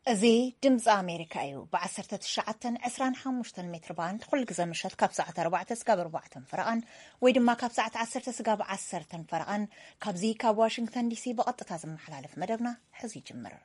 እዚ ድምፂ ኣሜሪካ እዩ። ብ19፣ 25 ሜትር ባንድ ኩሉ ግዜ ምሸት ካብ ሰዓት ኣርባዕተ ስጋብ ኣርባዕተን ፈረቓን ወይ ድማ ካብ ሰዓት ዓሰርተ ስጋብ ዓሰርተን ፈረቓን ካብዚ ካብ ዋሽንግተን ዲሲ ብቐጥታ ዝመሓላለፍ መደብና ሕዚ ይጅምር።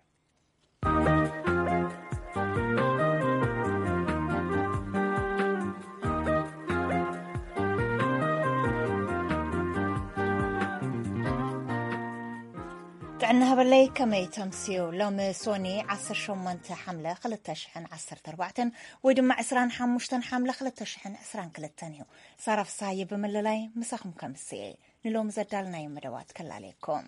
ጥዕና ሃበለይ፣ ከመይ ተምስዩ? ሎሚ ሶኒ ዓሰርተ ሸሞንተ ሓምለ ክልተ ሽሕን ዓሰርተ ኣርባዕተን ወይ ድማ ዕስራን ሓሙሽተን ሓምለ ክልተ ሽሕን ዕስራን ክልተን እዩ። ሳራ ፍሳሃየ ብምልላይ ምሳኹም ከምስየ። ንሎሚ ዘዳልናዮ መደባት ከላለየኩም።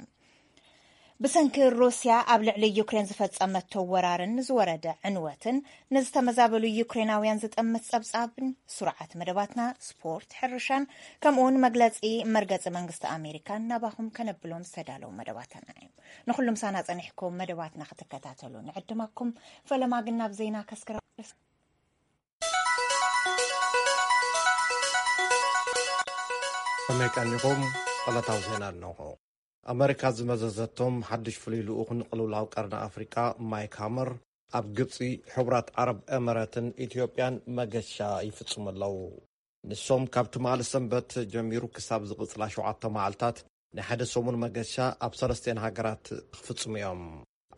ብሰንኪ ሩስያ ኣብ ልዕሊ ዩክሬን ዝፈጸመቶ ወራርን ዝወረደ ዕንወትን ንዝተመዛበሉ ዩክሬናውያን ዝጠምት ጸብጻብን ስሩዓት መደባትና ስፖርት፣ ሕርሻን ከምኡውን መግለጺ መርገጺ መንግስቲ ኣሜሪካን ናባኹም ከነብሎም ዝተዳለዉ መደባትና እዩ። ንኹሉም ሳና ጸኒሕኩም መደባትና ክትከታተሉ ንዕድመኩም። ፈለማ ግን ናብ ዜና ከስክረ ከመይ ቀኒኹም? ዕለታዊ ዜና ኣለኹ። ኣመሪካ ዝመዘዘቶም ሓድሽ ፍሉይ ልኡኽ ንቅልውላው ቀርኒ ኣፍሪቃ ማይክ ሃመር ኣብ ግብጺ፣ ሕቡራት ዓረብ ኤመረትን ኢትዮጵያን መገሻ ይፍጽሙ ኣለዉ። ንሶም ካብ ትማሊ ሰንበት ጀሚሩ ክሳብ ዝቕጽላ ሸውዓተ መዓልታት ናይ ሓደ ሰሙን መገሻ ኣብ ሰለስቲኤን ሃገራት ክፍጽሙ እዮም።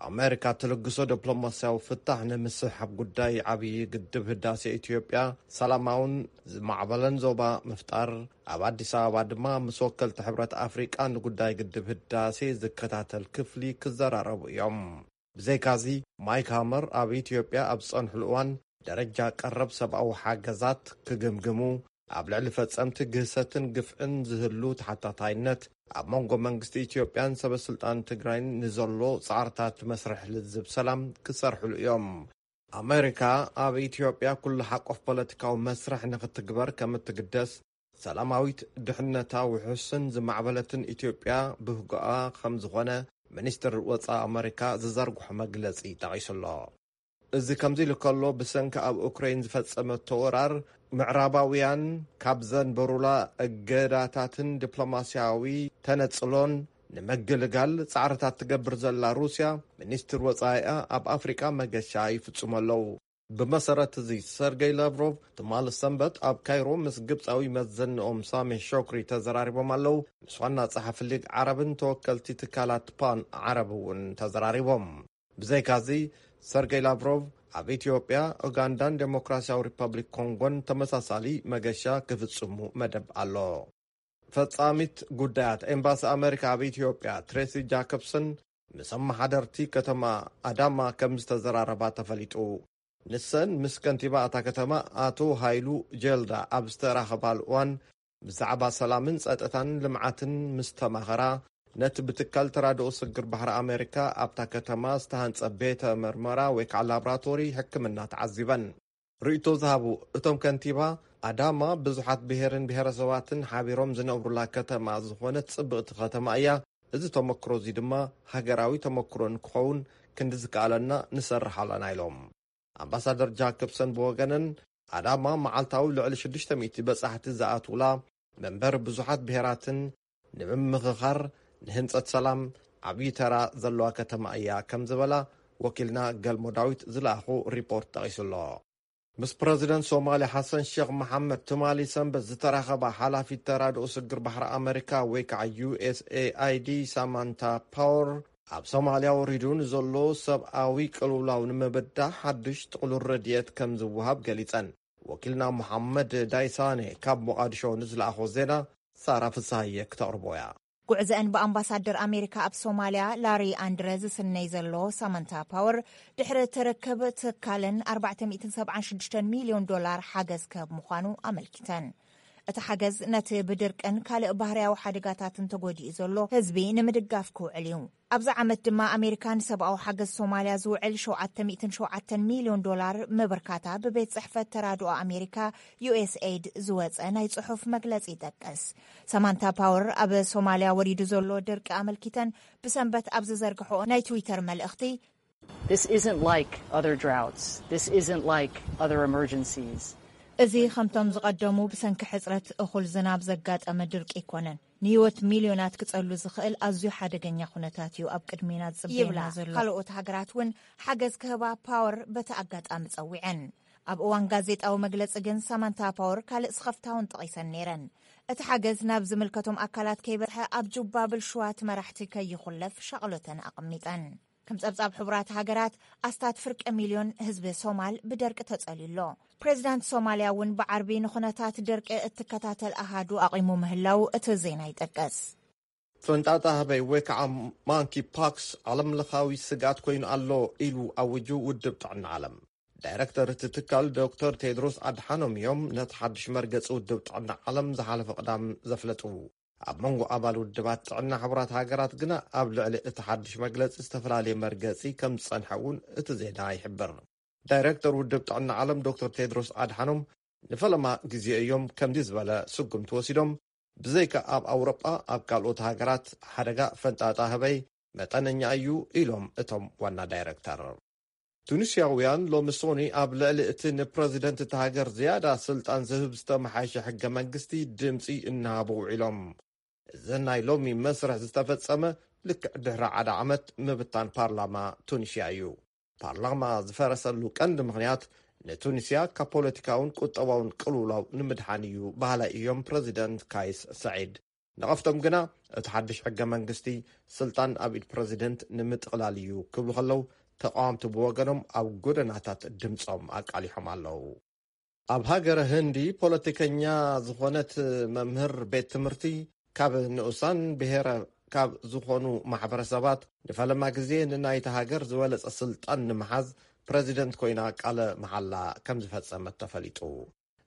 ኣመሪካ ትልግሶ ዲፕሎማስያዊ ፍታሕ ንምስሕሓብ ጉዳይ ዓብዪ ግድብ ህዳሴ ኢትዮጵያ ሰላማውን ዝማዕበለን ዞባ ምፍጣር፣ ኣብ ኣዲስ ኣበባ ድማ ምስ ወከልቲ ሕብረት ኣፍሪቃ ንጉዳይ ግድብ ህዳሴ ዝከታተል ክፍሊ ክዘራረቡ እዮም። ብዘይካዚ፣ ማይክ ሃመር ኣብ ኢትዮጵያ ኣብ ዝጸንሕሉ እዋን ደረጃ ቀረብ ሰብኣዊ ሓገዛት ክግምግሙ፣ ኣብ ልዕሊ ፈጸምቲ ግህሰትን ግፍዕን ዝህሉ ተሓታታይነት፣ ኣብ መንጎ መንግስቲ ኢትዮጵያን ሰበ ስልጣን ትግራይን ንዘሎ ጻዕርታት መስርሕ ልዝብ ሰላም ክሰርሕሉ እዮም። ኣመሪካ ኣብ ኢትዮጵያ ኩሉ ሓቆፍ ፖለቲካዊ መስርሕ ንክትግበር ከም እትግደስ፣ ሰላማዊት፣ ድሕነታ ውሑስን ዝማዕበለትን ኢትዮጵያ ብህጎኣ ከም ዝኾነ ሚኒስትር ወጻኢ ኣመሪካ ዝዘርግሖ መግለጺ ጠቒሱ ኣሎ። እዚ ከምዚ ኢሉ ከሎ፣ ብሰንኪ ኣብ ኡክሬን ዝፈጸመቶ ወራር፣ ምዕራባውያን ካብ ዘንበሩላ እገዳታትን ዲፕሎማስያዊ ተነጽሎን ንምግልጋል ጻዕርታት ትገብር ዘላ ሩስያ፣ ሚኒስትር ወጻኢኣ ኣብ ኣፍሪቃ መገሻ ይፍጽሙ ኣለዉ። ብመሰረት እዚ፣ ሰርገይ ላቭሮቭ ትማሊ ሰንበት ኣብ ካይሮ ምስ ግብጻዊ መዘንኦም ሳሜ ሾክሪ ተዘራሪቦም ኣለዉ። ምስ ዋና ጸሓፊ ሊግ ዓረብን ተወከልቲ ትካላት ፓን ዓረብ እውን ተዘራሪቦም። ብዘይካዚ፣ ሰርገይ ላቭሮቭ ኣብ ኢትዮጵያ፣ ኡጋንዳን ዴሞክራሲያዊ ሪፐብሊክ ኮንጎን ተመሳሳሊ መገሻ ክፍጽሙ መደብ ኣሎ። ፈጻሚት ጉዳያት ኤምባሲ ኣመሪካ ኣብ ኢትዮጵያ ትሬሲ ጃኮብሰን ምስ ኣመሓደርቲ ከተማ ኣዳማ ከም ዝተዘራረባ ተፈሊጡ። ንሰን ምስ ከንቲባ እታ ከተማ ኣቶ ሃይሉ ጀልዳ ኣብ ዝተራኸባሉ እዋን፣ ብዛዕባ ሰላምን ጸጥታን ልምዓትን ምስ ተማኸራ፣ ነቲ ብትካል ተራድኦ ስግር ባሕሪ ኣመሪካ ኣብታ ከተማ ዝተሃንጸ ቤተ መርመራ ወይ ከዓ ላብራቶሪ ሕክምና ተዓዚበን። ርእይቶ ዝሃቡ እቶም ከንቲባ፣ ኣዳማ ብዙሓት ብሄርን ብሄረሰባትን ሓቢሮም ዝነብሩላ ከተማ ዝኾነት ጽብቕቲ ከተማ እያ። እዚ ተመክሮ እዚ ድማ ሃገራዊ ተመክሮ ንክኸውን ክንዲ ዝከኣለና ንሰርሕ ኣለና ኢሎም። ኣምባሳደር ጃኮብሰን ብወገነን፣ ኣዳማ መዓልታዊ ልዕሊ ሽዱሽተ ሚእቲ በጻሕቲ ዝኣትውላ፣ መንበሪ ብዙሓት ብሄራትን ንምምኽኻር፣ ንህንጸት ሰላም ዓብዪ ተራ ዘለዋ ከተማ እያ ከም ዝበላ ወኪልና ገልሞ ዳዊት ዝለኣኹ ሪፖርት ጠቒሱ ኣሎ። ምስ ፕረዚደንት ሶማልያ ሓሰን ሼኽ መሓመድ ትማሊ ሰንበት ዝተራኸባ ሓላፊት ተራድኦ ስግር ባሕሪ ኣመሪካ ወይ ከዓ ዩ ኤስ ኤ ኣይ ዲ ሳማንታ ፓወር፣ ኣብ ሶማልያ ወሪዱ ንዘሎ ሰብኣዊ ቅልውላው ንምብዳህ ሓድሽ ጥቕሉል ረድኤት ከም ዝወሃብ ገሊጸን። ወኪልና መሓመድ ዳይሳኔ ካብ ሞቓድሾ ንዝለኣኾ ዜና ሳራ ፍስሃየ ክተቕርቦ እያ። ጉዕዘአን ብኣምባሳደር ኣሜሪካ ኣብ ሶማልያ ላሪ ኣንድረ ዝስነይ ዘሎ ሳማንታ ፓወር፣ ድሕሪ እቲ ርክብ ትካለን ኣርባዕተ ሚእትን ሰብዓን ሽዱሽተን ሚልዮን ዶላር ሓገዝ ክህብ ምዃኑ ኣመልኪተን። እቲ ሓገዝ ነቲ ብድርቅን ካልእ ባህርያዊ ሓደጋታትን ተጎዲኡ ዘሎ ህዝቢ ንምድጋፍ ክውዕል እዩ። ኣብዚ ዓመት ድማ ኣሜሪካ ንሰብኣዊ ሓገዝ ሶማልያ ዝውዕል ሸውዓተ ሚእትን ሸውዓተን ሚልዮን ዶላር ምብርካታ ብቤት ጽሕፈት ተራድኦ ኣሜሪካ ዩ ኤስ ኤይድ ዝወጸ ናይ ጽሑፍ መግለጺ ይጠቅስ። ሳማንታ ፓወር ኣብ ሶማልያ ወሪዱ ዘሎ ድርቂ ኣመልኪተን ብሰንበት ኣብ ዝዘርግሖ ናይ ትዊተር መልእኽቲ፣ This isn't like other droughts. This isn't like other emergencies. እዚ ከምቶም ዝቐደሙ ብሰንኪ ሕጽረት እኹል ዝናብ ዘጋጠመ ድርቂ ኣይኮነን። ንህይወት ሚልዮናት ክጸሉ ዝኽእል ኣዝዩ ሓደገኛ ኩነታት እዩ ኣብ ቅድሜና ዝጽበየና ይብላ። ዘሎ። ካልኦት ሃገራት እውን ሓገዝ ክህባ ፓወር በቲ ኣጋጣሚ ጸዊዐን። ኣብ እዋን ጋዜጣዊ መግለጺ ግን ሳማንታ ፓወር ካልእ ስኸፍታ እውን ጠቒሰን ነይረን። እቲ ሓገዝ ናብ ዝምልከቶም ኣካላት ከይበጽሐ ኣብ ጁባ ብልሽዋት መራሕቲ ከይኹለፍ ሻቕሎተን ኣቐሚጠን። ከም ጸብጻብ ሕቡራት ሃገራት ኣስታት ፍርቂ ሚልዮን ህዝቢ ሶማል ብደርቂ ተጸልዩ ኣሎ። ፕሬዚዳንት ሶማልያ እውን ብዓርቢ ንኹነታት ደርቂ እትከታተል ኣሃዱ ኣቒሙ ምህላው እቲ ዜና ይጠቅስ። ፈንጣጣ ህበይ ወይ ከዓ ማንኪ ፓክስ ዓለምለኻዊ ስግኣት ኮይኑ ኣሎ ኢሉ ኣውጁ ውድብ ጥዕና ዓለም። ዳይረክተር እቲ ትካል ዶክተር ቴድሮስ ኣድሓኖም እዮም ነቲ ሓድሽ መርገፂ ውድብ ጥዕና ዓለም ዝሓለፈ ቅዳም ዘፍለጡ። ኣብ መንጎ ኣባል ውድባት ጥዕና ሕቡራት ሃገራት ግና ኣብ ልዕሊ እቲ ሓድሽ መግለፂ ዝተፈላለየ መርገፂ ከም ዝፀንሐ እውን እቲ ዜና ይሕብር። ዳይረክተር ውድብ ጥዕና ዓለም ዶክተር ቴድሮስ ኣድሓኖም ንፈለማ ግዜ እዮም ከምዚ ዝበለ ስጉምቲ ወሲዶም። ብዘይካ ኣብ ኣውሮጳ፣ ኣብ ካልኦት ሃገራት ሓደጋ ፈንጣጣ ህበይ መጠነኛ እዩ ኢሎም እቶም ዋና ዳይረክተር። ቱኒስያውያን ሎሚ ሶኒ ኣብ ልዕሊ እቲ ንፕረዚደንት እታ ሃገር ዝያዳ ስልጣን ዝህብ ዝተመሓየሸ ሕገ መንግስቲ ድምፂ እናሃቡ ውዒሎም። እዚ ናይ ሎሚ መስርሕ ዝተፈጸመ ልክዕ ድሕሪ ሓደ ዓመት ምብታን ፓርላማ ቱኒስያ እዩ። ፓርላማ ዝፈረሰሉ ቀንዲ ምኽንያት ንቱኒስያ ካብ ፖለቲካውን ቁጠባውን ቅልውላው ንምድሓን እዩ በሃላይ እዮም ፕረዚደንት ካይስ ሰዒድ። ነቐፍቶም ግና እቲ ሓድሽ ሕገ መንግስቲ ስልጣን ኣብ ኢድ ፕረዚደንት ንምጥቕላል እዩ ክብሉ ከለዉ፣ ተቃወምቲ ብወገኖም ኣብ ጎደናታት ድምፆም ኣቃሊሖም ኣለዉ። ኣብ ሃገረ ህንዲ ፖለቲከኛ ዝኾነት መምህር ቤት ትምህርቲ ካብ ንኡሳን ብሄረ ካብ ዝኾኑ ማሕበረሰባት ንፈለማ ግዜ ንናይታ ሃገር ዝበለጸ ስልጣን ንምሓዝ ፕረዚደንት ኮይና ቃለ መሓላ ከም ዝፈጸመት ተፈሊጡ።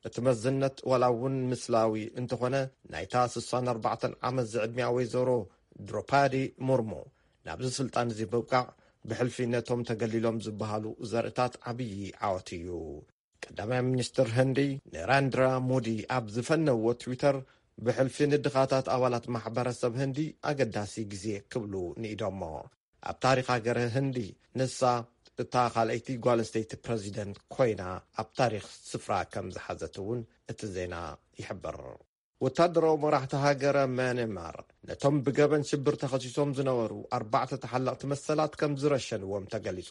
እቲ መዝነት ዋላ እውን ምስላዊ እንተኾነ ናይታ ስሳን ኣርባዕተን ዓመት ዝዕድሚያ ወይዘሮ ድሮፓዲ ሙርሙ ናብዚ ስልጣን እዚ ምብቃዕ ብሕልፊ ነቶም ተገሊሎም ዝበሃሉ ዘርእታት ዓብዪ ዓወት እዩ። ቀዳማይ ሚኒስትር ህንዲ ነራንድራ ሞዲ ኣብ ዝፈነዎ ትዊተር ብሕልፊ ንድኻታት ኣባላት ማሕበረሰብ ህንዲ ኣገዳሲ ግዜ ክብሉ ንኢዶሞ። ኣብ ታሪኽ ሃገር ህንዲ ንሳ እታ ካልኣይቲ ጓል ኣንስተይቲ ፕረዚደንት ኮይና ኣብ ታሪኽ ስፍራ ከም ዝሓዘት እውን እቲ ዜና ይሕብር። ወታደራዊ መራሕቲ ሃገረ ማያንማር ነቶም ብገበን ሽብር ተኸሲሶም ዝነበሩ ኣርባዕተ ተሓለቕቲ መሰላት ከም ዝረሸንዎም ተገሊጹ።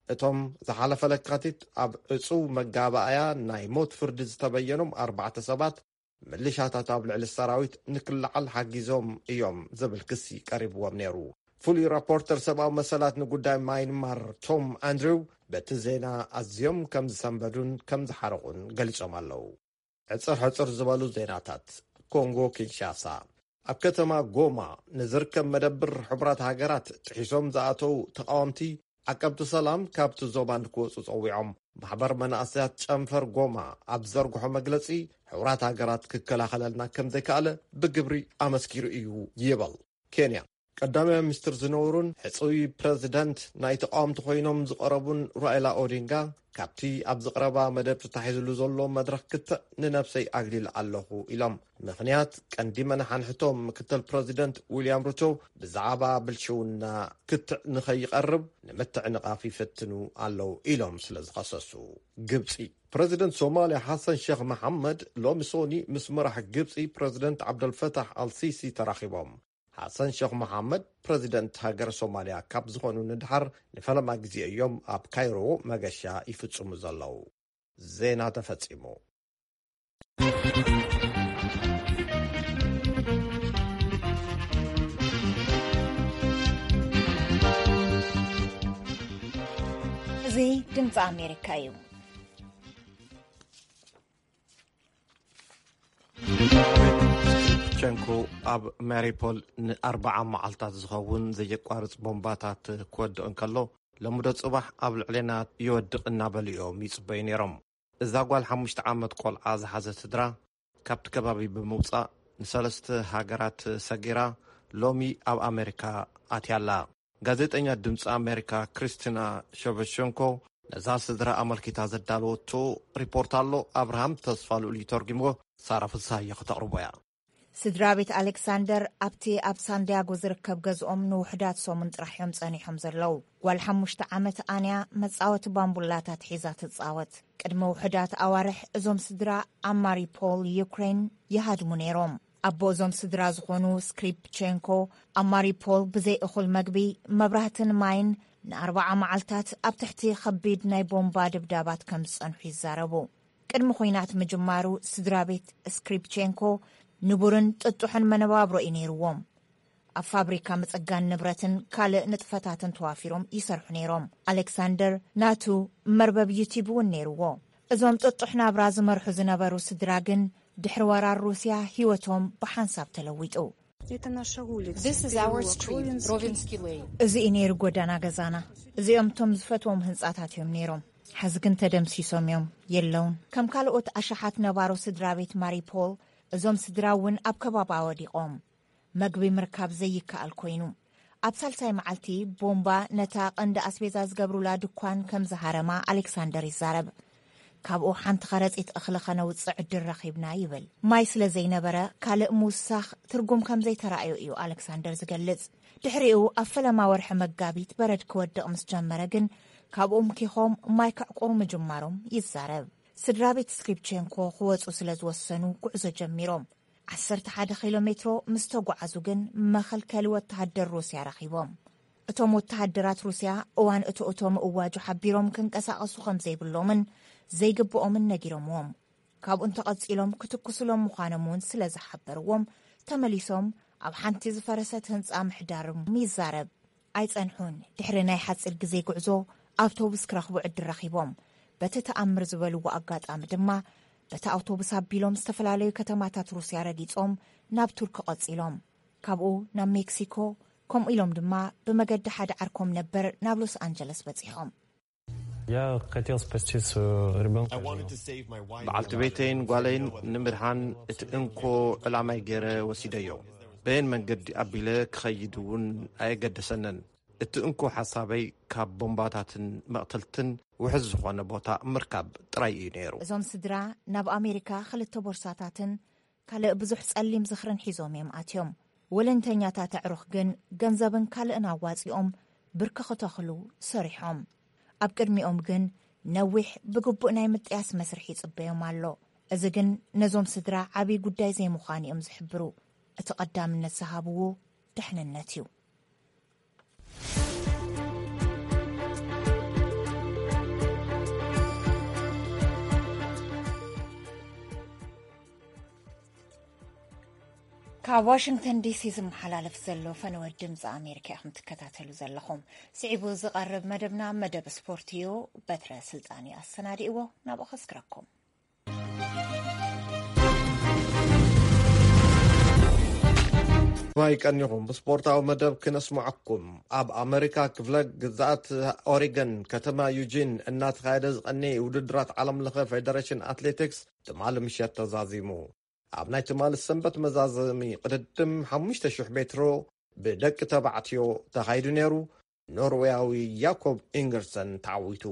እቶም ዝሓለፈ ለካቲት ኣብ ዕጹው መጋባእያ ናይ ሞት ፍርዲ ዝተበየኖም ኣርባዕተ ሰባት፣ ምልሻታት ኣብ ልዕሊ ሰራዊት ንክለዓል ሓጊዞም እዮም ዝብል ክሲ ቀሪብዎም ነይሩ። ፍሉይ ራፖርተር ሰብኣዊ መሰላት ንጉዳይ ማይንማር ቶም ኣንድሪው በቲ ዜና ኣዝዮም ከም ዝሰንበዱን ከም ዝሓረቑን ገሊጾም ኣለዉ። ሕጽር ሕጽር ዝበሉ ዜናታት። ኮንጎ ኪንሻሳ። ኣብ ከተማ ጎማ ንዝርከብ መደብር ሕቡራት ሃገራት ጥሒሶም ዝኣተዉ ተቓወምቲ ዓቀብቲ ሰላም ካብቲ ዞባ ንክወጹ ጸዊዖም። ማሕበር መናእሰያት ጨንፈር ጎማ ኣብ ዘርግሖ መግለጺ፣ ሕቡራት ሃገራት ክከላኸለልና ከም ዘይከኣለ ብግብሪ ኣመስኪሩ እዩ ይብል። ኬንያ። ቀዳማይ ሚኒስትር ዝነበሩን ሕጹይ ፕረዚደንት ናይ ተቃወምቲ ኮይኖም ዝቐረቡን ራኢላ ኦዲንጋ፣ ካብቲ ኣብዚ ቀረባ መደብ ተታሒዝሉ ዘሎ መድረኽ ክትዕ ንነብሰይ ኣግሊለ ኣለኹ ኢሎም። ምኽንያት ቀንዲ መናሓንሕቶም ምክትል ፕረዚደንት ዊልያም ሩቶ ብዛዕባ ብልሽውና ክትዕ ንኸይቐርብ ንምትዕንቓፍ ይፍትኑ ኣለዉ ኢሎም ስለ ዝኸሰሱ። ግብጺ። ፕረዚደንት ሶማልያ ሓሰን ሸኽ መሓመድ ሎሚ ሶኒ ምስ መራሕ ግብጺ ፕረዚደንት ዓብደልፈታሕ ኣልሲሲ ተራኺቦም። ሓሰን ሸኽ መሓመድ ፕረዚደንት ሃገር ሶማልያ ካብ ዝኾኑ ንድሓር ንፈለማ ግዜ እዮም ኣብ ካይሮ መገሻ ይፍጽሙ ዘለዉ። ዜና ተፈጺሙ። እዚ ድምፂ ኣሜሪካ እዩ። ሸንኮ ኣብ ማሪፖል ንኣርባዓ መዓልታት ዝኸውን ዘየቋርጽ ቦምባታት ክወድቕ እንከሎ፣ ለምዶ ጽባሕ ኣብ ልዕሌና ይወድቕ እናበሉ እዮም ይጽበዩ ነይሮም። እዛ ጓል ሓሙሽተ ዓመት ቆልዓ ዝሓዘት ስድራ ካብቲ ከባቢ ብምውጻእ ንሰለስተ ሃገራት ሰጊራ ሎሚ ኣብ ኣሜሪካ ኣትያ ኣላ። ጋዜጠኛ ድምፂ ኣሜሪካ ክሪስቲና ሸቨሸንኮ ነዛ ስድራ ኣመልኪታ ዘዳለወቶ ሪፖርት ኣሎ። ኣብርሃም ተስፋ ልኡል እዩ ተርጉምዎ። ሳራ ፍስሃየ ከተቕርቦ እያ። ስድራ ቤት ኣሌክሳንደር ኣብቲ ኣብ ሳንዲያጎ ዝርከብ ገዝኦም ንውሕዳት ሰሙን ጥራሕ እዮም ጸኒሖም ዘለዉ። ጓል ሓሙሽተ ዓመት ኣንያ መጻወቲ ባምቡላታት ሒዛ ትጻወት። ቅድሚ ውሕዳት ኣዋርሕ እዞም ስድራ ኣብ ማሪፖል ዩክሬን ይሃድሙ ነይሮም። ኣቦ እዞም ስድራ ዝኾኑ ስክሪፕቼንኮ ኣብ ማሪፖል ብዘይ እኹል መግቢ፣ መብራህትን ማይን ንኣርባዓ መዓልታት ኣብ ትሕቲ ኸቢድ ናይ ቦምባ ድብዳባት ከም ዝጸንሑ ይዛረቡ። ቅድሚ ኹናት ምጅማሩ ስድራ ቤት ስክሪፕቼንኮ ንቡርን ጥጡሕን መነባብሮ እዩ ነይርዎም። ኣብ ፋብሪካ ምጽጋን ንብረትን ካልእ ንጥፈታትን ተዋፊሮም ይሰርሑ ነይሮም። ኣሌክሳንደር ናቱ መርበብ ዩቲብ እውን ነይርዎ። እዞም ጥጡሕ ናብራ ዝመርሑ ዝነበሩ ስድራ ግን ድሕሪ ወራር ሩስያ ህይወቶም ብሓንሳብ ተለዊጡ። This is our street, Rovinski Lane. እዚ እዩ ነይሩ ጎዳና ገዛና። እዚኦም እቶም ዝፈትዎም ህንጻታት እዮም ነይሮም። ሕዚ ግን ተደምሲሶም እዮም፣ የለውን። ከም ካልኦት ኣሽሓት ነባሮ ስድራ ቤት ማሪፖል፣ እዞም ስድራ እውን ኣብ ከባባ ወዲቖም። መግቢ ምርካብ ዘይከኣል ኮይኑ፣ ኣብ ሳልሳይ መዓልቲ ቦምባ ነታ ቀንዲ ኣስቤዛ ዝገብሩላ ድኳን ከም ዝሃረማ ኣሌክሳንደር ይዛረብ። ካብኡ ሓንቲ ከረጺት እኽሊ ከነውጽእ ዕድል ረኺብና ይብል። ማይ ስለ ዘይነበረ ካልእ ምውሳኽ ትርጉም ከም ዘይተራእዮ እዩ ኣሌክሳንደር ዝገልጽ። ድሕሪኡ ኣብ ፈለማ ወርሒ መጋቢት በረድ ክወድቕ ምስ ጀመረ ግን ካብኡ ምኪኾም ማይ ከዕቁሩ ምጅማሮም ይዛረብ። ስድራ ቤት ስክሪፕቼንኮ ክወጹ ስለ ዝወሰኑ ጉዕዞ ጀሚሮም። ዓሰርተ ሓደ ኪሎ ሜትሮ ምስ ተጓዓዙ ግን መኸልከሊ ወተሃደር ሩስያ ረኺቦም። እቶም ወተሃደራት ሩስያ እዋን እቶ እቶ ምእዋጁ ሓቢሮም ክንቀሳቐሱ ከም ዘይብሎምን ዘይግብኦምን ነጊሮምዎም። ካብኡ እንተቐጺሎም ክትኩስሎም ምዃኖም እውን ስለ ዝሓበርዎም ተመሊሶም ኣብ ሓንቲ ዝፈረሰት ህንጻ ምሕዳሮም ይዛረብ። ኣይጸንሑን። ድሕሪ ናይ ሓጺር ግዜ ጉዕዞ ኣውቶቡስ ክረኽቡ ዕድል ረኺቦም። በቲ ተኣምር ዝበልዎ ኣጋጣሚ ድማ በቲ ኣውቶቡስ ኣቢሎም ዝተፈላለዩ ከተማታት ሩስያ ረጊጾም ናብ ቱርክ ቀጺሎም። ካብኡ ናብ ሜክሲኮ፣ ከምኡ ኢሎም ድማ ብመገዲ ሓደ ዓርኮም ነበር ናብ ሎስ ኣንጀለስ በጺሖም። Я хотел спасти своего ребенка. በዓልቲ ቤተይን ጓለይን ንምድሓን እቲ እንኮ ዕላማይ ገይረ ወሲደዮ። በየን መንገዲ ኣቢለ ክኸይድ እውን ኣየገደሰንን። እቲ እንኮ ሓሳበይ ካብ ቦምባታትን መቕተልትን ውሕዝ ዝኾነ ቦታ ምርካብ ጥራይ እዩ ነይሩ። እዞም ስድራ ናብ ኣሜሪካ ክልተ ቦርሳታትን ካልእ ብዙሕ ጸሊም ዝኽርን ሒዞም እዮም ኣትዮም። ወለንተኛታት ኣዕሩኽ ግን ገንዘብን ካልእን ኣዋጺኦም ብርኪ ክተኽሉ ሰሪሖም። ኣብ ቅድሚኦም ግን ነዊሕ ብግቡእ ናይ ምጥያስ መስርሕ ይጽበዮም ኣሎ። እዚ ግን ነዞም ስድራ ዓብዪ ጉዳይ ዘይምዃኑ እዮም ዝሕብሩ። እቲ ቀዳምነት ዝሃብዎ ድሕንነት እዩ። ካብ ዋሽንግተን ዲሲ ዝመሓላለፍ ዘሎ ፈነወ ድምፂ ኣሜሪካ ኢኹም ትከታተሉ ዘለኹም። ስዒቡ ዝቐርብ መደብና መደብ ስፖርት እዩ። በትረ ስልጣን እዩ ኣሰናዲእዎ፣ ናብኡ ከስክረኩም። ማይ ቀኒኹም ብስፖርታዊ መደብ ክነስምዓኩም። ኣብ ኣመሪካ ክፍለ ግዛኣት ኦሪገን ከተማ ዩጂን እናተኻየደ ዝቐነየ ውድድራት ዓለም ለኸ ፌደሬሽን ኣትሌቲክስ ትማሊ ምሸት ተዛዚሙ። ኣብ ናይ ትማሊ ሰንበት መዛዘሚ ቅድድም ሓሙሽተ ሽሕ ሜትሮ ብደቂ ተባዕትዮ ተኻይዱ ነይሩ። ኖርዌያዊ ያኮብ ኢንገርሰን ተዓዊቱ።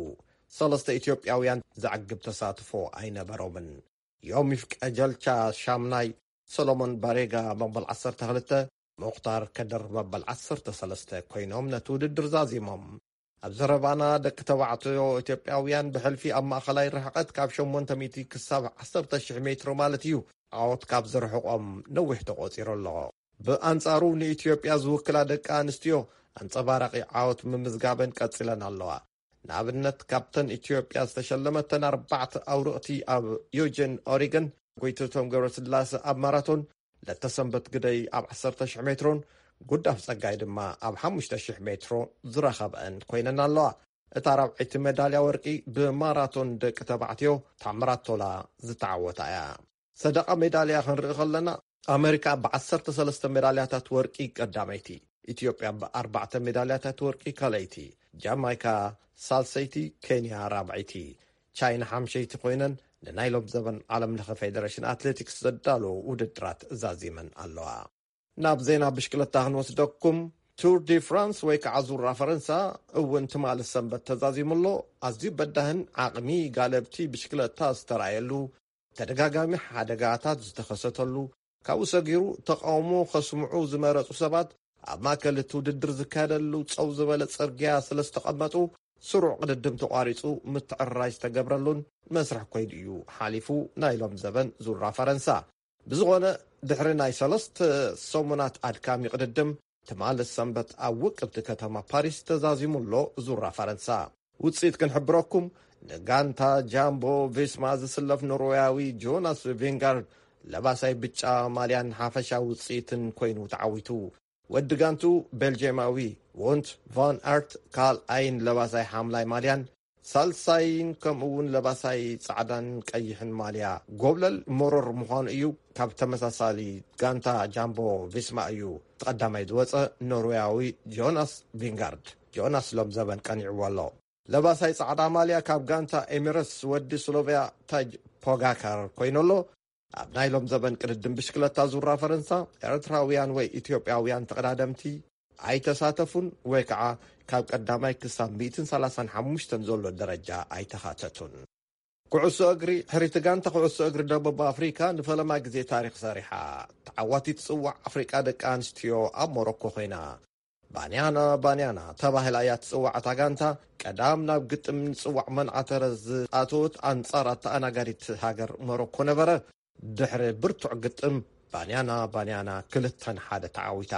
ሰለስተ ኢትዮጵያውያን ዘዕግብ ተሳትፎ ኣይነበሮምን። ዮሚፍ ቀጀልቻ ሻምናይ፣ ሰሎሞን ባሬጋ መበል ዓሰርተ ክልተ፣ ሙኽታር ከድር መበል ዓሰርተ ሰለስተ ኮይኖም ነቲ ውድድር ዛዚሞም። ኣብ ዘረባና ደቂ ተባዕትዮ ኢትዮጵያውያን ብሕልፊ ኣብ ማእኸላይ ርሕቐት ካብ ሸሞንተ ሚእቲ ክሳብ ዓሰርተ ሽሕ ሜትሮ ማለት እዩ ዓወት ካብ ዝርሕቖም ነዊሕ ተቖፂሩ ኣሎ። ብኣንፃሩ ንኢትዮጵያ ዝውክላ ደቂ ኣንስትዮ ኣንፀባራቒ ዓወት ምምዝጋበን ቀፂለን ኣለዋ። ንኣብነት ካብተን ኢትዮጵያ ዝተሸለመተን ኣርባዕተ ኣውርቕቲ ኣብ ዩጅን ኦሪገን ጎይትቶም ገብረስላሰ ኣብ ማራቶን ለተሰንበት ግደይ ኣብ ዓሰርተ ሽሕ ሜትሮን ጉዳፍ ጸጋይ ድማ ኣብ ሓሙሽተ ሽሕ ሜትሮ ዝረኸበአን ኮይነን ኣለዋ። እታ ራብዐይቲ ሜዳልያ ወርቂ ብማራቶን ደቂ ተባዕትዮ ታምራት ቶላ ዝተዓወታ እያ። ሰደቓ ሜዳልያ ክንርኢ ከለና ኣመሪካ ብዓሰርተ ሰለስተ ሜዳልያታት ወርቂ ቀዳመይቲ፣ ኢትዮጵያ ብኣርባዕተ ሜዳልያታት ወርቂ ካልኣይቲ፣ ጃማይካ ሳልሰይቲ፣ ኬንያ ራብዐይቲ፣ ቻይና ሓምሸይቲ ኮይነን ንናይ ሎም ዘበን ዓለም ለኸ ፌደሬሽን ኣትሌቲክስ ዘዳለዎ ውድድራት ዛዚመን ኣለዋ። ናብ ዜና ብሽክለታ ክንወስደኩም። ቱር ዲ ፍራንስ ወይ ከዓ ዙራ ፈረንሳ እውን ትማሊ ሰንበት ተዛዚሙ ኣሎ። ኣዝዩ በዳህን ዓቕሚ ጋለብቲ ብሽክለታ ዝተራእየሉ፣ ተደጋጋሚ ሓደጋታት ዝተኸሰተሉ፣ ካብኡ ሰጊሩ ተቃውሞ ከስምዑ ዝመረፁ ሰባት ኣብ ማእከል እቲ ውድድር ዝካየደሉ ፀው ዝበለ ፅርግያ ስለ ዝተቐመጡ ስሩዕ ቅድድም ተቋሪፁ ምትዕርራይ ዝተገብረሉን መስርሕ ኮይዱ እዩ ሓሊፉ ናይ ሎም ዘበን ዙራ ፈረንሳ። ብዝኾነ ድሕሪ ናይ ሰለስተ ሰሙናት ኣድካሚ ቅድድም፣ ትማሊ ሰንበት ኣብ ውቅብቲ ከተማ ፓሪስ ተዛዚሙ ኣሎ ዙራ ፈረንሳ። ውጽኢት ክንሕብረኩም፣ ንጋንታ ጃምቦ ቪስማ ዝስለፍ ኖርዌያዊ ጆናስ ቪንጋርድ ለባሳይ ብጫ ማልያን ሓፈሻ ውጽኢትን ኮይኑ ተዓዊቱ። ወዲ ጋንቱ ቤልጅየማዊ ዎንት ቫን ኣርት ካልኣይን ለባሳይ ሓምላይ ማልያን ሳልሳይን ከምኡ እውን ለባሳይ ጻዕዳን ቀይሕን ማልያ ጎብለል መሮር ምዃኑ እዩ ካብ ተመሳሳሊ ጋንታ ጃምቦ ቪስማ እዩ ተቐዳማይ ዝወጸ ኖርዌያዊ ጆናስ ቪንጋርድ። ጆናስ ሎም ዘበን ቀኒዕዎ ኣሎ። ለባሳይ ጻዕዳ ማልያ ካብ ጋንታ ኤሚረትስ ወዲ ስሎቬያ ታጅ ፖጋካር ኮይኑ ኣሎ። ኣብ ናይ ሎም ዘበን ቅድድም ብሽክለታ ዙራ ፈረንሳ ኤርትራውያን ወይ ኢትዮጵያውያን ተቐዳደምቲ ኣይተሳተፉን ወይ ከዓ ካብ ቀዳማይ ክሳብ ሚእትን ሰላሳን ሓሙሽተን ዘሎ ደረጃ ኣይተኻተቱን። ኩዕሶ እግሪ፣ ሕሪቲ ጋንታ ኩዕሶ እግሪ ደቡብ ኣፍሪካ ንፈለማ ግዜ ታሪክ ሰሪሓ። ተዓዋቲት ጽዋዕ ኣፍሪቃ ደቂ ኣንስትዮ ኣብ ሞሮኮ ኮይና። ባንያና ባንያና ተባሂላ እያ ትጽዋዕ። እታ ጋንታ ቀዳም ናብ ግጥም ንጽዋዕ መንዓተረ ዝኣተወት ኣንጻር ኣተኣናጋዲት ሃገር ሞሮኮ ነበረ። ድሕሪ ብርቱዕ ግጥም፣ ባንያና ባንያና ክልተ ንሓደ ተዓዊታ።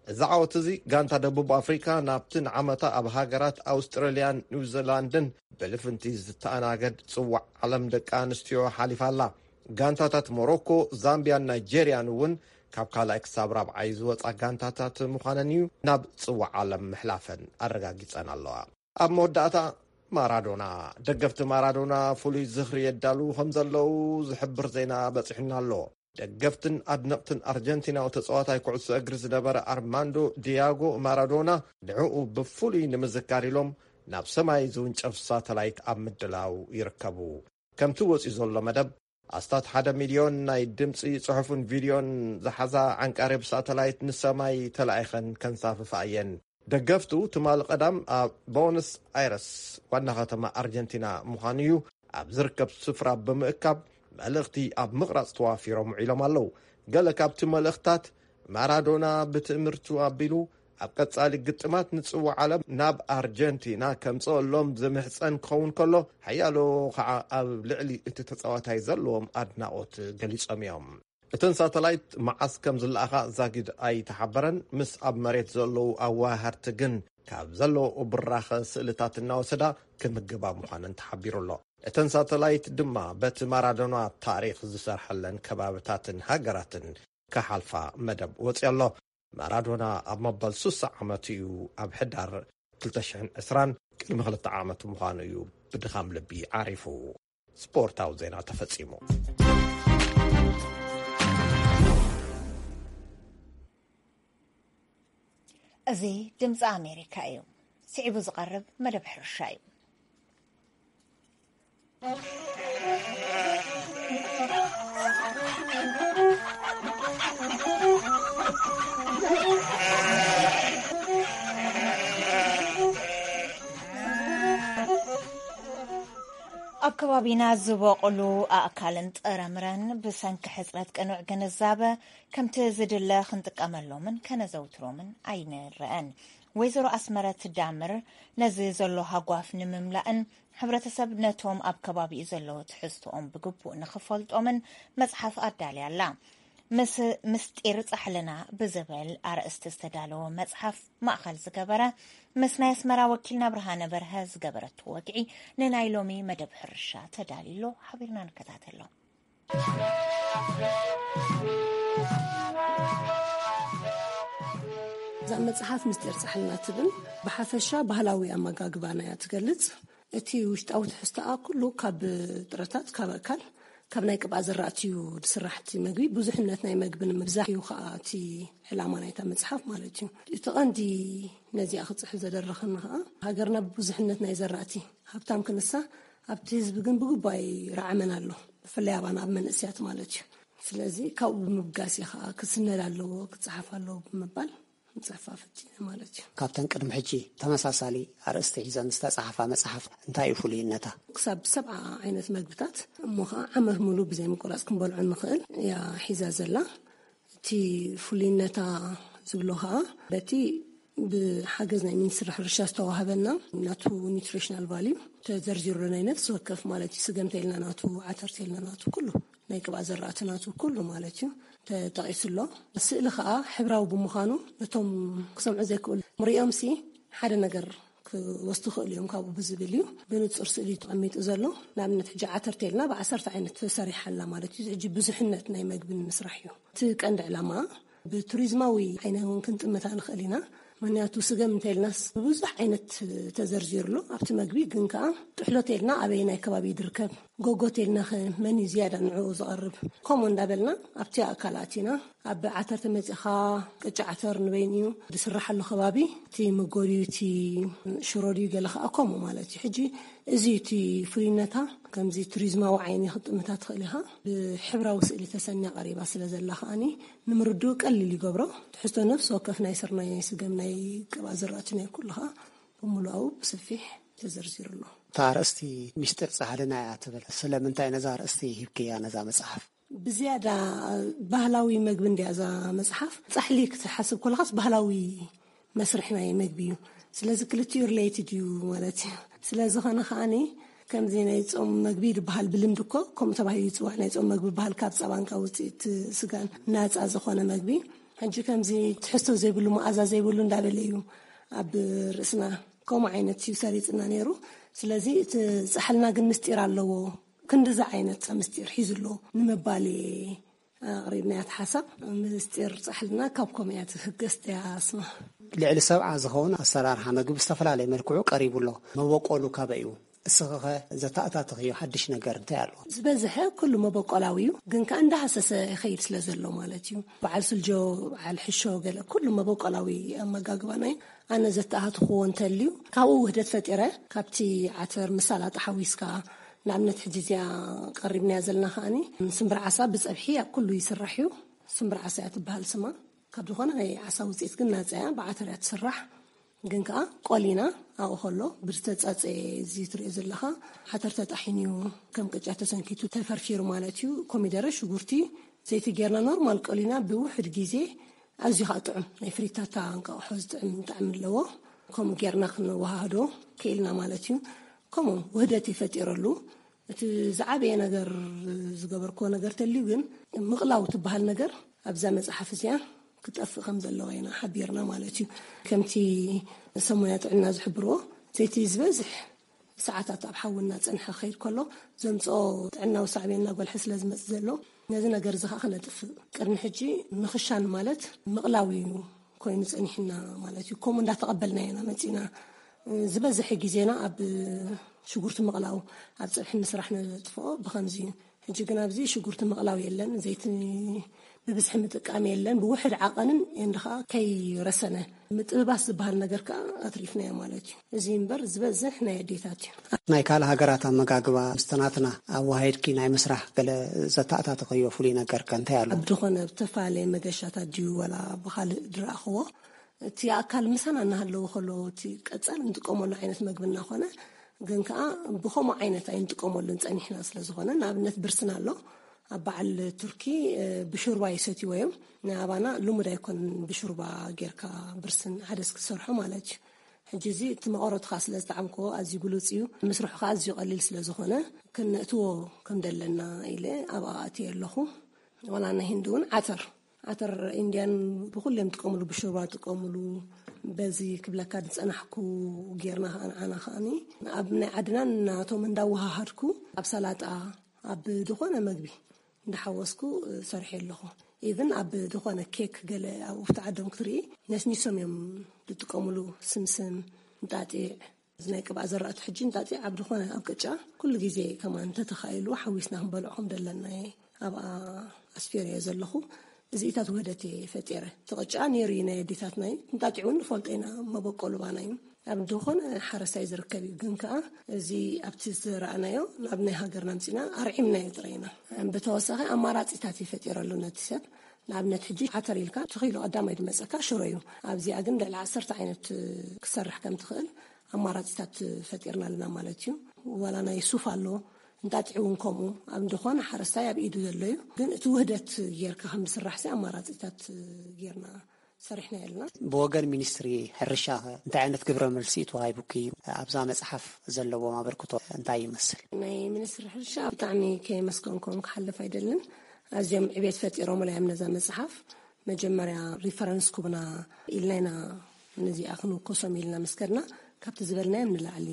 እዚ ዓወት እዚ ጋንታ ደቡብ ኣፍሪካ ናብቲ ንዓመታ ኣብ ሃገራት ኣውስትራልያን ኒውዚላንድን ብልፍንቲ ዝተኣናገድ ጽዋዕ ዓለም ደቂ ኣንስትዮ ሓሊፋ ኣላ። ጋንታታት ሞሮኮ፣ ዛምቢያን ናይጄርያን እውን ካብ ካልኣይ ክሳብ ራብዓይ ዝወጻ ጋንታታት ምዃነን እዩ ናብ ጽዋዕ ዓለም ምሕላፈን ኣረጋጊጸን ኣለዋ። ኣብ መወዳእታ፣ ማራዶና። ደገፍቲ ማራዶና ፍሉይ ዝኽሪ የዳልዉ ከም ዘለዉ ዝሕብር ዜና በጺሑና ኣሎ። ደገፍትን ኣድነቕትን ኣርጀንቲናዊ ተጻዋታይ ኩዕሶ እግሪ ዝነበረ ኣርማንዶ ዲያጎ ማራዶና፣ ንዕኡ ብፍሉይ ንምዝካር ኢሎም ናብ ሰማይ ዝውንጨፍ ሳተላይት ኣብ ምድላው ይርከቡ። ከምቲ ወጺኡ ዘሎ መደብ፣ ኣስታት ሓደ ሚልዮን ናይ ድምጺ፣ ጽሑፍን ቪድዮን ዝሓዛ ዓንቃሪ ብሳተላይት ንሰማይ ተላኢኸን ከንሳፍፋ እየን። ደገፍቱ ትማሊ ቀዳም ኣብ ቦነስ ኣይረስ፣ ዋና ከተማ ኣርጀንቲና ምዃኑ እዩ፣ ኣብ ዝርከብ ስፍራ ብምእካብ መልእኽቲ ኣብ ምቕራጽ ተዋፊሮም ውዒሎም ኣለዉ። ገለ ካብቲ መልእኽትታት፣ ማራዶና ብትእምርቱ ኣቢሉ ኣብ ቀጻሊ ግጥማት ንጽዋዕ ዓለም ናብ ኣርጀንቲና ከምጽኣሎም ዝምሕጸን ክኸውን ከሎ፣ ሓያሎ ኸዓ ኣብ ልዕሊ እቲ ተጻዋታይ ዘለዎም ኣድናቖት ገሊጾም እዮም። እተን ሳተላይት መዓስ ከም ዝለኣኻ ዛጊድ ኣይተሓበረን። ምስ ኣብ መሬት ዘለዉ ኣዋሃድቲ ግን ካብ ዘለዉ ብራኸ ስእልታት እናወሰዳ ክምግባ ምዃነን ተሓቢሩ ኣሎ። እተን ሳተላይት ድማ በቲ ማራዶና ታሪኽ ዝሰርሐለን ከባብታትን ሃገራትን ክሓልፋ መደብ ወፂኡ ኣሎ። ማራዶና ኣብ መበል ስሳ ዓመቱ እዩ ኣብ ሕዳር ክልተ ሽሕን ዕስራን፣ ቅድሚ ክልተ ዓመት ምዃኑ እዩ ብድኻም ልቢ ዓሪፉ። ስፖርታዊ ዜና ተፈጺሙ። እዚ ድምፂ ኣሜሪካ እዩ። ስዒቡ ዝቐርብ መደብ ሕርሻ እዩ። ኣብ ከባቢና ዝበቑሉ ኣእካልን ጥረምረን ብሰንኪ ሕጽረት ቅኑዕ ግንዛበ ከምቲ ዝድለ ክንጥቀመሎምን ከነዘውትሮምን ኣይንረአን። ወይዘሮ ኣስመረት ዳምር ነዚ ዘሎ ሃጓፍ ንምምላእን ሕብረተሰብ ነቶም ኣብ ከባቢኡ ዘለዉ ትሕዝቶኦም ብግቡእ ንኽፈልጦምን መጽሓፍ ኣዳልያ ኣላ። ምስ ምስጢር ጻሕልና ብዝብል ኣርእስቲ ዝተዳለወ መጽሓፍ ማእኸል ዝገበረ፣ ምስ ናይ ኣስመራ ወኪልና ብርሃነ በርሀ ዝገበረቶ ወግዒ ንናይ ሎሚ መደብ ሕርሻ ተዳልዩ ኣሎ። ሓቢርና ንከታተሎ። እዛ መጽሓፍ ምስጢር ጻሕልና ትብል፣ ብሓፈሻ ባህላዊ ኣመጋግባና እያ ትገልጽ። እቲ ውሽጣዊ ትሕዝቶኣ ኩሉ ካብ ጥረታት፣ ካብ ኣእካል፣ ካብ ናይ ቅብኣ ዝራእቲ እዩ ዝስራሕ እቲ መግቢ። ብዙሕነት ናይ መግቢ ንምብዛሕ እዩ ከዓ እቲ ዕላማ ናይታ መጽሓፍ ማለት እዩ። እቲ ቀንዲ ነዚኣ ክጽሕፍ ዘደረኸኒ ከዓ ሃገርና ብብዙሕነት ናይ ዘራእቲ ሃብታም ክንሳ፣ ኣብቲ ህዝቢ ግን ብግቡእ ኣይረዓመን ኣሎ፣ ብፍላይ ኣባና ኣብ መንእስያት ማለት እዩ። ስለዚ ካብኡ ብምብጋስ እዩ ከዓ ክስነድ ኣለዎ፣ ክጸሓፍ ኣለዎ ብምባል ምጽሕፋ ፈቲነ ማለት እዩ። ካብተን ቅድሚ ሕጂ ተመሳሳሊ ኣርእስቲ ሒዘን ዝተጻሕፋ መጽሓፍ እንታይ እዩ ፍሉይነታ? ክሳብ ሰብዓ ዓይነት መግብታት እሞ ኸዓ ዓመት ሙሉ ብዘይ ምቁራጽ ክንበልዖ ንኽእል እያ ሒዛ ዘላ። እቲ ፍሉይነታ ዝብሎ ኸዓ በቲ ብሓገዝ ናይ ሚኒስትሪ ሕርሻ ዝተዋህበና ናቱ ኒትሪሽናል ቫልዩ ተዘርዚሩ ናይ ነፍሲ ወከፍ ማለት እዩ። ስገም ተልና ናቱ፣ ዓተር ተልና ናቱ፣ ኩሉ ናይ ቅብኣ ዘራእቲ ናቱ ኩሉ ማለት እዩ ተጠቒሱ ኣሎ። ስእሊ ከዓ ሕብራዊ ብምዃኑ ነቶም ክሰምዑ ዘይክእሉ ምርእዮምሲ ሓደ ነገር ክወስዱ ይኽእሉ እዮም ካብኡ ብዝብል እዩ ብንጹር ስእሊ ተቐሚጡ ዘሎ። ንኣብነት ሕጂ ዓተር ተልና ብዓሰርተ ዓይነት ተሰሪሓ ኣላ ማለት እዩ። ሕጂ ብዙሕነት ናይ መግቢ ንምስራሕ እዩ እቲ ቀንዲ ዕላማ። ብቱሪዝማዊ ዓይነ እውን ክንጥምታ ንኽእል ኢና። ምክንያቱ ስገም እንተልናስ ብብዙሕ ዓይነት ተዘርዚሩ ኣሎ ኣብቲ መግቢ። ግን ከዓ ጥሕሎ ተልና ኣበይ ናይ ከባቢ ድርከብ፣ ጎጎ ተልና ኸ መን እዩ ዝያዳ ንዕኡ ዝቐርብ? ከምኡ እንዳበልና ኣብቲ ኣካል ኣቲና ኣብ ዓተር ተመፂኻ ቅጫ ዓተር ንበይን እዩ ዝስራሓሉ ከባቢ፣ እቲ መጎድዩ፣ እቲ ሽሮ ድዩ ገለ ከዓ ከምኡ ማለት እዩ። ሕጂ እዚ እቲ ፍሉይነታ ከምዚ ቱሪዝማዊ ዓይኒ ክትጥምታ ትኽእል ኢኻ። ብሕብራዊ ስእሊ ተሰንያ ቀሪባ ስለ ዘላ ከዓኒ ንምርድኡ ቀሊል ይገብሮ። ትሕዝቶ ነፍሲ ወከፍ ናይ ስርናይ፣ ናይ ስገም፣ ናይ ቅብኣ ዝራእቲ ናይ ኩሉ ከዓ ብምሉኣኡ ብሰፊሕ ተዘርዚሩ ኣሎ። እታ ኣርእስቲ ሚስጢር ጻሕልና እያ ትብል። ስለምንታይ ነዛ ኣርእስቲ ሂብክያ ነዛ መጽሓፍ? ብዝያዳ ባህላዊ መግቢ እንድያ እዛ መጽሓፍ። ጻሕሊ ክትሓስብ ከለኻስ ባህላዊ መስርሕ ናይ መግቢ እዩ። ስለዚ ክልቲኡ ሪሌትድ እዩ ማለት እዩ። ስለ ዝኾነ ከዓኒ ከምዚ ናይ ጾም መግቢ ዝበሃል ብልምዲ እኮ ከምኡ ተባሂሉ ይጽዋዕ። ናይ ጾም መግቢ ዝበሃል ካብ ጸባን ካብ ውጽኢት ስጋን ናጻ ዝኾነ መግቢ። ሕጂ ከምዚ ትሕዝቶ ዘይብሉ መኣዛ ዘይብሉ እንዳበለ እዩ ኣብ ርእስና ከምኡ ዓይነት እዩ ሰሪጽና ነይሩ። ስለዚ እቲ ጻሕልና ግን ምስጢር ኣለዎ። ክንድዚ ዓይነት ምስጢር ሒዙ ኣሎ ንምባል እየ ኣቕሪብናያ እቲ ሓሳብ። ምስጢር ጻሕልና ካብ ከምኡ እያ ትህገስ እያ ስማ። ልዕሊ ሰብዓ ዝኸውን ኣሰራርሓ መግቢ ብዝተፈላለየ መልክዑ ቀሪቡ ኣሎ። መበቆሉ ካበይ እዩ? እስኺኸ ዘተኣታተኽዮ ሓድሽ ነገር እንታይ ኣሎ? ዝበዝሐ ኩሉ መበቆላዊ እዩ፣ ግን ከኣ እንዳሃሰሰ ይኸይድ ስለ ዘሎ ማለት እዩ። በዓል ስልጆ፣ በዓል ሕሾ፣ ገለ ኩሉ መበቆላዊ ኣመጋግባና እዩ። ኣነ ዘተኣታተኽዎ እንተልዩ ካብኡ ውህደት ፈጢረ፣ ካብቲ ዓተር ምስ ሰላጣ ሓዊስካ፣ ንኣብነት ሕጂ እዚኣ ቀሪብናያ ዘለና ከኣኒ ስምብር ዓሳ ብጸብሒ ኣብ ኩሉ ይስራሕ እዩ። ስምብር ዓሳ እያ ትበሃል ስማ። ካብ ዝኾነ ናይ ዓሳ ውጽኢት ግን ናጻ እያ፣ ብዓተር እያ ትስራሕ። ግን ከኣ ቆሊና ኣብኡ ከሎ ብዝተጻጸየ እዚ ትሪኦ ዘለኻ ዓተር ተጣሒኑ እዩ፣ ከም ቅጫ ተሰንኪቱ ተፈርፊሩ ማለት እዩ። ኮሚደረ፣ ሽጉርቲ፣ ዘይቲ ጌርና ኖርማል ቆሊና ብውሑድ ግዜ ኣዝዩ ከኣ ጥዑም ናይ ፍሪታታ እንቃቑሖ ዝጥዕም ጣዕሚ ኣለዎ። ከምኡ ጌርና ክንወሃህዶ ክኢልና ማለት እዩ። ከምኡ ውህደት ይፈጢረሉ። እቲ ዝዓበየ ነገር ዝገበርክዎ ነገር ተልዩ ግን ምቕላው ትበሃል ነገር ኣብዛ መጽሓፍ እዚኣ ክጠፍእ ከም ዘለዎ ኢና ሓቢርና ማለት እዩ። ከምቲ ሰብ ሞያ ጥዕና ዝሕብርዎ ዘይቲ ዝበዝሕ ሰዓታት ኣብ ሓዊ እናጸንሐ ክኸይድ ከሎ ዘምጽኦ ጥዕናዊ ሳዕቤን እናጎልሐ ስለ ዝመጽእ ዘሎ ነዚ ነገር እዚ ከዓ ክነጥፍእ ቅድሚ ሕጂ ምኽሻን ማለት ምቕላው እዩ ኮይኑ ጸኒሕና ማለት እዩ። ከምኡ እንዳተቐበልና ኢና መጺና። ዝበዝሐ ግዜና ኣብ ሽጉርቲ ምቕላው ኣብ ጸብሒ ምስራሕ ነጥፍኦ ብኸምዚ እዩ። ሕጂ ግን ኣብዚ ሽጉርቲ ምቕላው የለን፣ ዘይቲ ብብዝሒ ምጥቃም የለን፣ ብውሕድ ዓቐንን እንድኻ ከይረሰነ ምጥብባስ ዝበሃል ነገር ከኣ ኣትሪፍናዮ ማለት እዩ። እዚ እምበር ዝበዝሕ ናይ ኣዴታት እዩ። ናይ ካልእ ሃገራት ኣመጋግባ ምስቲ ናትና ኣወሃሂድኪ ናይ ምስራሕ ገለ ዘተኣታተኸዮ ፍሉይ ነገር ከ እንታይ ኣሎ? ኣብ ዝኾነ ብተፈላለየ መገሻታት ድዩ ወላ ብኻልእ ድረኣኽዎ፣ እቲ ኣካል ምሳና እናሃለዎ ከሎ እቲ ቀጻል እንጥቀመሉ ዓይነት መግቢ እናኾነ ግን ከኣ ብኸምኡ ዓይነት ኣይንጥቀመሉን ጸኒሕና ስለ ዝኾነ፣ ንኣብነት ብርስን ኣሎ። ኣብ በዓል ቱርኪ፣ እ፣ ብሹርባ ይሰትይዎ እዮም። ንኣባና ልሙድ ኣይኮነን ብሹርባ ጌርካ ብርስን ዓደስ ክትሰርሖ ማለት እዩ። ሕጂ እዚ እቲ መቐረቱ ከኣ ስለ ዝጠዓምክዎ ኣዝዩ ብሉጽ እዩ። ምስርሑ ከኣ ኣዝዩ ቀሊል ስለ ዝኾነ ክነእትዎ ከም ደለና ኢለ ኣብኣ ኣእትየ ኣለኹ። ዋላ ናይ ህንዲ እውን ዓተር፣ ዓተር ኢንድያን ብኹሎም ጥቀምሉ፣ ብሹርባ ጥቀምሉ። በዚ ክብለካ ዝጸናሕኩ ጌርና ከኣ ንዓና ከኣኒ ኣብ ናይ ዓድና ናቶም እንዳወሃሃድኩ ኣብ ሰላጣ፣ ኣብ ዝኾነ መግቢ እንዳሓወስኩ ሰርሐ ኣለኹ። ኢቭን ኣብ ዝኾነ ኬክ ገለ ኣብ ውሽጢ ዓዶም ክትርኢ ነስኒሶም እዮም ዝጥቀምሉ። ስምስም፣ እንጣጢዕ፣ እዚ ናይ ቅብኣ ዘራእቲ ሕጂ እንጣጢዕ ኣብ ዝኾነ ኣብ ቅጫ ኩሉ ግዜ ከማን እንተተኻኢሉ ሓዊስና ክንበልዖ ከም ዘለና እየ ኣብኣ ኣስፊረዮ ዘለኹ። እዚኢታት ውህደት እየ ፈጢረ። እቲ ቅጫ ነይሩ እዩ ናይ ኣዴታትና እዩ። እንጣጢዕ እውን ንፈልጦ ኢና፣ መበቆሉ ባና እዩ። ኣብ ዝኾነ ሓረስታይ ዝርከብ እዩ። ግን ከኣ እዚ ኣብቲ ዝዘራእናዮ ናብ ናይ ሃገርና ኣምጺና ኣርዒምናዮ ጥራይ ኢና። ብተወሳኺ ኣማራጺታት ይፈጢረሉ ነቲ ሰብ። ንኣብነት ሕጂ ዓተር ኢልካ እቲ ኪሎ ቀዳማይ ዝመጸካ ሽሮ እዩ። ኣብዚኣ ግን ልዕሊ ዓሰርተ ዓይነት ክሰርሕ ከም ትኽእል ኣማራጺታት ፈጢርና ኣለና ማለት እዩ። ዋላ ናይ ሱፍ ኣሎ፣ እንጣጢዕ እውን ከምኡ። ኣብ ዝኾነ ሓረስታይ ኣብ ኢዱ ዘሎ እዩ። ግን እቲ ውህደት ጌርካ ከም ዝስራሕ ሲ ኣማራጺታት ጌርና ሰሪሕና የልና። ብወገን ሚኒስትሪ ሕርሻ እንታይ ዓይነት ግብረ መልሲ እዩ ተዋሂቡኪ? ኣብዛ መጽሓፍ ዘለዎም ኣበርክቶ እንታይ ይመስል? ናይ ሚኒስትሪ ሕርሻ ብጣዕሚ ከየመስገንኩም ክሓልፍ ኣይደልን። ኣዝዮም ዕቤት ፈጢሮም እዮም ነዛ መጽሓፍ። መጀመርያ ሪፈረንስ ኩብና ኢልና ኢና ነዚኣ ክንውከሶም ኢልና መስከርና፣ ካብቲ ዝበልናዮም ንላዕሊ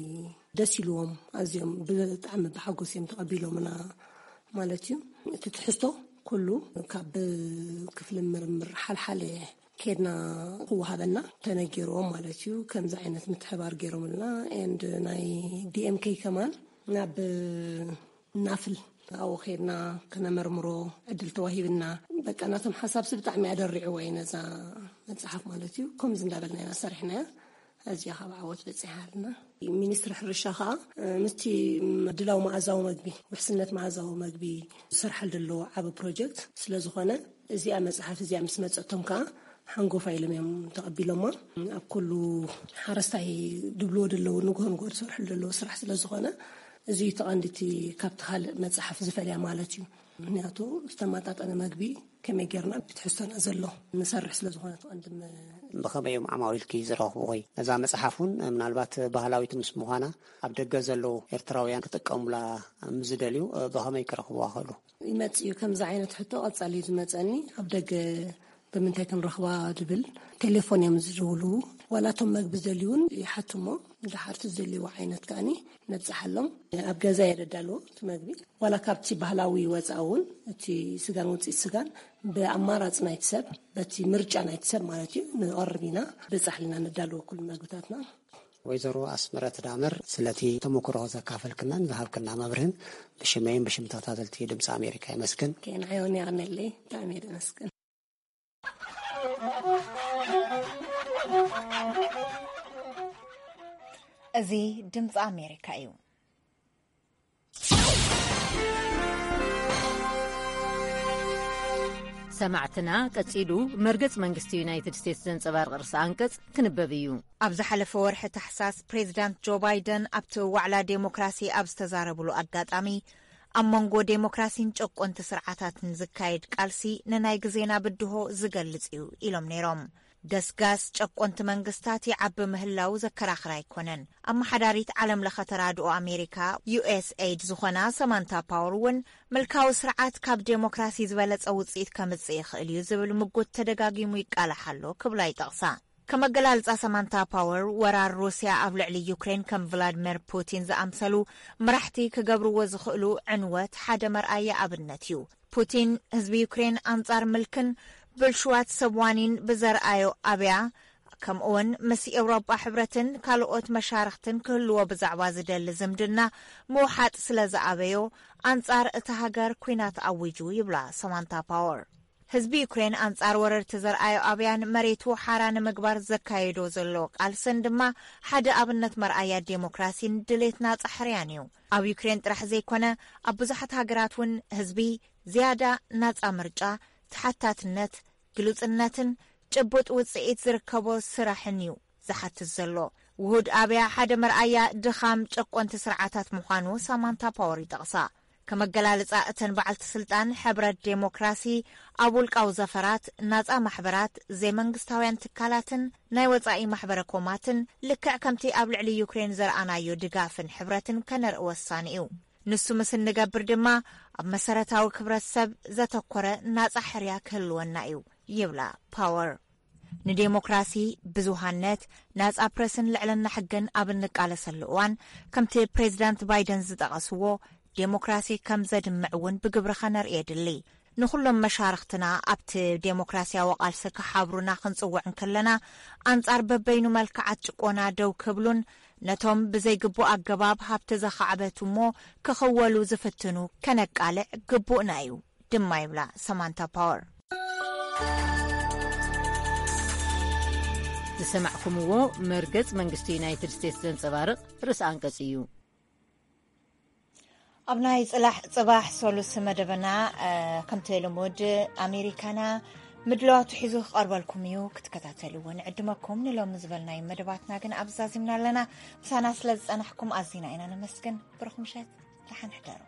ደስ ኢልዎም፣ ኣዝዮም ብጣዕሚ ብሓጎስ እዮም ተቐቢሎምና ማለት እዩ። እቲ ትሕዝቶ ኩሉ ካብ ክፍሊ ምርምር ሓልሓለ ኬድና ክወሃበና ተነጊርዎም ማለት እዩ። ከምዚ ዓይነት ምትሕባር ገይሮምልና። ኤንድ ናይ ዲኤምኬ ከማን ናብ ናፍል ኣብኡ ኬድና ክነመርምሮ ዕድል ተዋሂብና። በቃ ናቶም ሓሳብሲ ብጣዕሚ ኣደሪዕዎ እዩ ነዛ መጽሓፍ ማለት እዩ። ከምዚ እንዳበልና ኢና ሰሪሕናያ። ኣዝያ ካብ ዓወት በጺሓልና። ሚኒስትሪ ሕርሻ ከኣ ምስቲ ምድላው መኣዛዊ መግቢ፣ ውሕስነት መኣዛዊ መግቢ ዝሰርሓል ዘሎ ዓቢ ፕሮጀክት ስለ ዝኾነ፣ እዚኣ መጽሓፍ እዚኣ ምስ መጸቶም ከኣ ሓንጎፋ ኢሎም እዮም ተቐቢሎማ። ኣብ ኩሉ ሓረስታይ ድብልዎ ደለዉ ንግሆ ንግሆ ዝሰርሕሉ ደለዉ ስራሕ ስለ ዝኾነ፣ እዚ እዩ እቲ ቀንዲ እቲ ካብቲ ካልእ መጽሓፍ ዝፈልያ ማለት እዩ። ምክንያቱ ዝተመጣጠነ መግቢ ከመይ ጌርና ብትሕዝቶና ዘሎ ንሰርሕ ስለ ዝኾነ እቲ ቀንዲ መ- ብኸመይ እዮም ዓማዊልኪ ዝረኽቡ ወይ ነዛ መጽሓፍ እውን ምናልባት ባህላዊት ምስ ምዃና ኣብ ደገ ዘለዉ ኤርትራውያን ክጥቀሙላ ምስ ዝደልዩ ብኸመይ ክረኽብዋ ክእሉ? ይመጽእ እዩ። ከምዚ ዓይነት ሕቶ ቀጻሊ እዩ ዝመጸኒ። ኣብ ደገ ብምንታይ ክንረኽባ ዝብል ቴሌፎን እዮም ዝድውሉ። ዋላ እቶም መግቢ ዝደልዩ እውን ይሓቱ እሞ፣ ድሓር እቲ ዝደልይዎ ዓይነት ከኣኒ ነብጽሓሎም። ኣብ ገዛ እየ ደዳልዎ እቲ መግቢ። ዋላ ካብቲ ባህላዊ ወጻኢ እውን፣ እቲ ስጋን ውጽኢት ስጋን ብኣማራጺ ናይቲ ሰብ፣ በቲ ምርጫ ናይቲ ሰብ ማለት እዩ፣ ንቐርብ ኢና። ብጻሕልና ነዳልዎ ኩሉ መግብታትና። ወይዘሮ ኣስመረት ዳመር፣ ስለቲ ተመክሮ ዘካፈልክናን ዝሃብክና መብርህን ብሽመይን ብሽም ተኸታተልቲ ድምፂ ኣሜሪካ የመስግን። ኬንዓዮን የቐነለይ፣ ብጣዕሚ እየ ደመስግን። እዚ ድምፂ ኣሜሪካ እዩ። ሰማዕትና፣ ቀጺሉ መርገጽ መንግስቲ ዩናይትድ ስቴትስ ዘንጸባርቕ ርእሰ ኣንቀጽ ክንበብ እዩ። ኣብ ዝሓለፈ ወርሒ ታሕሳስ፣ ፕሬዚዳንት ጆ ባይደን ኣብቲ ዋዕላ ዴሞክራሲ ኣብ ዝተዛረብሉ ኣጋጣሚ፣ ኣብ መንጎ ዴሞክራሲን ጨቆንቲ ስርዓታትን ዝካየድ ቃልሲ ንናይ ግዜና ብድሆ ዝገልጽ እዩ ኢሎም ነይሮም። ገስጋስ ጨቆንቲ መንግስታት ይዓቢ ምህላው ዘከራኽር ኣይኮነን። ኣመሓዳሪት ዓለም ለኸ ተራድኦ ኣሜሪካ፣ ዩ ኤስ ኤይድ፣ ዝኾና ሰማንታ ፓወር እውን፣ ምልካዊ ስርዓት ካብ ዴሞክራሲ ዝበለጸ ውጽኢት ከምጽእ ይኽእል እዩ ዝብል ምጉት ተደጋጊሙ ይቃላሕ ኣሎ ክብላ ይጠቕሳ። ከም ኣገላልጻ ሰማንታ ፓወር፣ ወራር ሩስያ ኣብ ልዕሊ ዩክሬን ከም ቭላድሚር ፑቲን ዝኣምሰሉ መራሕቲ ክገብርዎ ዝኽእሉ ዕንወት ሓደ መርኣያ ኣብነት እዩ። ፑቲን ህዝቢ ዩክሬን ኣንጻር ምልክን ብልሽዋት ሰብ ዋኒን ብዘርኣዮ ኣብያ፣ ከምኡውን ምስ ኤውሮጳ ሕብረትን ካልኦት መሻርኽትን ክህልዎ ብዛዕባ ዝደሊ ዝምድና ምውሓጥ ስለ ዝኣበዮ፣ ኣንጻር እታ ሃገር ኲናት ኣዊጁ ይብላ ሰማንታ ፓወር። ህዝቢ ዩክሬን ኣንጻር ወረርቲ ዘርኣዮ ኣብያን መሬቱ ሓራ ንምግባር ዘካየዶ ዘሎ ቃልስን ድማ ሓደ ኣብነት መርኣያ ዴሞክራሲን ድሌት ናጻ ሕርያን እዩ። ኣብ ዩክሬን ጥራሕ ዘይኮነ፣ ኣብ ብዙሓት ሃገራት እውን ህዝቢ ዝያዳ ናጻ ምርጫ፣ ተሓታትነት፣ ግሉጽነትን ጭቡጥ ውጽኢት ዝርከቦ ስራሕን እዩ ዝሓትት ዘሎ። ውሁድ ኣብያ ሓደ መርኣያ ድኻም ጨቆንቲ ስርዓታት ምዃኑ ሳማንታ ፓወር ይጠቕሳ። ከም ኣገላልጻ፣ እተን በዓልቲ ስልጣን ሕብረት ዴሞክራሲ ኣብ ውልቃዊ ዘፈራት፣ ናጻ ማሕበራት፣ ዘይመንግስታውያን ትካላትን ናይ ወጻኢ ማሕበረ ኮማትን፣ ልክዕ ከምቲ ኣብ ልዕሊ ዩክሬን ዘርኣናዮ ድጋፍን ሕብረትን ከነርኢ ወሳኒ እዩ። ንሱ ምስ እንገብር ድማ ኣብ መሰረታዊ ክብረት ሰብ ዘተኮረ ናጻ ሕርያ ክህልወና እዩ ይብላ ፓወር። ንዴሞክራሲ፣ ብዙሃነት፣ ናጻ ፕረስን ልዕልና ሕግን ኣብ እንቃለሰሉ እዋን፣ ከምቲ ፕሬዚዳንት ባይደን ዝጠቐስዎ፣ ዴሞክራሲ ከም ዘድምዕ እውን ብግብሪ ኸነርኢ የድሊ። ንኹሎም መሻርኽትና ኣብቲ ዴሞክራሲያዊ ቃልሲ ክሓብሩና ክንጽውዕ እንከለና፣ ኣንጻር በበይኑ መልክዓት ጭቆና ደው ክብሉን ነቶም ብዘይግቡእ ኣገባብ ሃብቲ ዘኻዕበቱ እሞ ክኽወሉ ዝፍትኑ ከነቃልዕ ግቡእና እዩ ድማ ይብላ ሰማንታ ፓወር። ዝሰማዕኩምዎ መርገጽ መንግስቲ ዩናይትድ ስቴትስ ዘንጸባርቕ ርእሰ ኣንቀጽ እዩ። ኣብ ናይ ጽላሕ ጽባሕ ሶሉስ መደበና፣ እ፣ ከምቲ ልሙድ ኣሜሪካና ምድላዋቱ ሒዙ ክቐርበልኩም እዩ፣ ክትከታተልዎ ንዕድመኩም። ንሎሚ ዝበልናዩ መደባትና ግን ኣብ ዛዚምና ኣለና። ምሳና ስለ ዝጸናሕኩም ኣዚና ኢና ነመስግን። ብሩኽ ምሸት፣ ደሓን ሕደሩ።